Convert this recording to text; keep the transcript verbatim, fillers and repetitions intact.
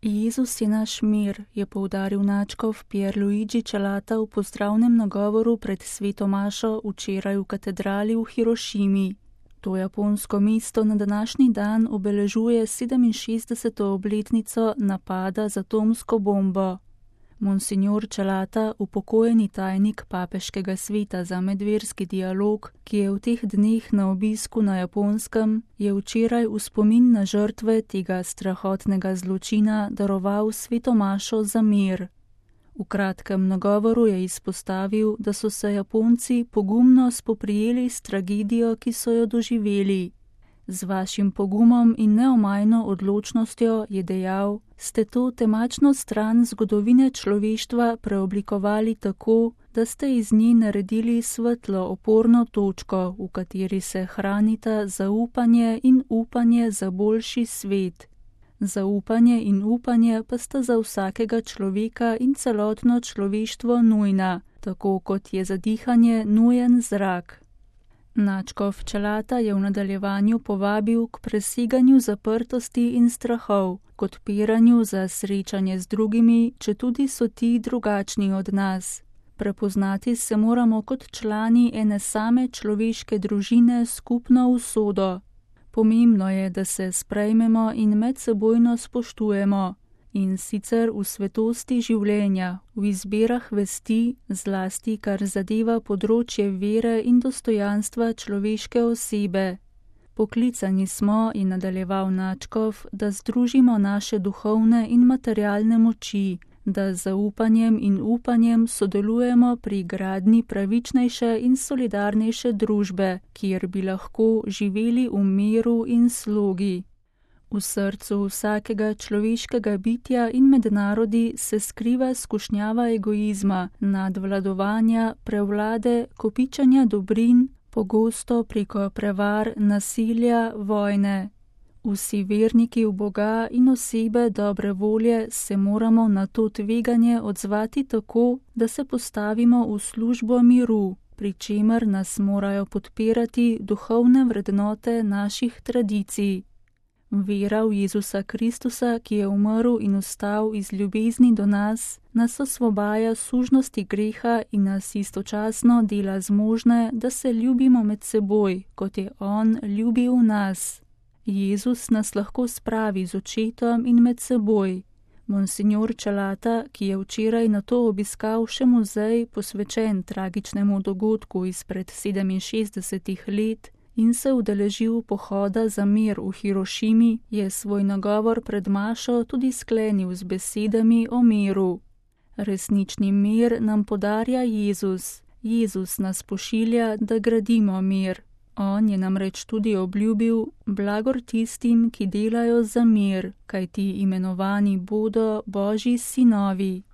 Jezus je naš mir, je poudaril nadškof Pierluigi Celata v pozdravnem nagovoru pred sveto mašo včeraj v katedrali v Hirošimi. To japonsko mesto na današnji dan obeležuje sedeminšestdeseto obletnico napada z atomsko bombo. Monsignor Celata, upokojeni tajnik papeškega sveta za medverski dialog, ki je v teh dneh na obisku na Japonskem, je včeraj v spomin na žrtve tega strahotnega zločina daroval sveto mašo za mir. V kratkem nagovoru je izpostavil, da so se Japonci pogumno spoprijeli s tragedijo, ki so jo doživeli. Z vašim pogumom in neomajno odločnostjo, je dejal, ste to temačno stran zgodovine človeštva preoblikovali tako, da ste iz nje naredili svetlo oporno točko, v kateri se hranita zaupanje in upanje za boljši svet. Zaupanje in upanje pa sta za vsakega človeka in celotno človeštvo nujna, tako kot je za dihanje nujen zrak. Nadškof Celata je v nadaljevanju povabil k preseganju zaprtosti in strahov, k odpiranju za srečanje z drugimi, četudi so ti drugačni od nas. Prepoznati se moramo kot člani ene same človeške družine s skupno usodo. Pomembno je, da se sprejmemo in medsebojno spoštujemo, in sicer v svetosti življenja, v izbirah vesti, zlasti kar zadeva področje vere in dostojanstva človeške osebe. Poklicani smo, je nadaljeval nadškof, da združimo naše duhovne in materialne moči, da z zaupanjem in upanjem sodelujemo pri gradnji pravičnejše in solidarnejše družbe, kjer bi lahko živeli v miru in slogi. V srcu vsakega človeškega bitja in med narodi se skriva skušnjava egoizma, nadvladovanja, prevlade, kopičanja dobrin, pogosto preko prevar, nasilja, vojne. Vsi verniki v Boga in osebe dobre volje se moramo na to tveganje odzvati tako, da se postavimo v službo miru, pri čemer nas morajo podpirati duhovne vrednote naših tradicij. Vera v Jezusa Kristusa, ki je umrl in vstal iz ljubezni do nas, nas osvobaja sužnosti greha in nas istočasno dela zmožne, da se ljubimo med seboj, kot je On ljubil nas. Jezus nas lahko spravi z očetom in med seboj. Monsignor Celata, ki je včeraj nato obiskal še muzej posvečen tragičnemu dogodku izpred sedeminšestdesetih let in se udeležil pohoda za mir v Hirošimi, je svoj nagovor pred mašo tudi sklenil z besedami o miru. Resnični mir nam podarja Jezus. Jezus nas pošilja, da gradimo mir. On je namreč tudi obljubil blagor tistim, ki delajo za mir, kajti imenovani bodo Božji sinovi.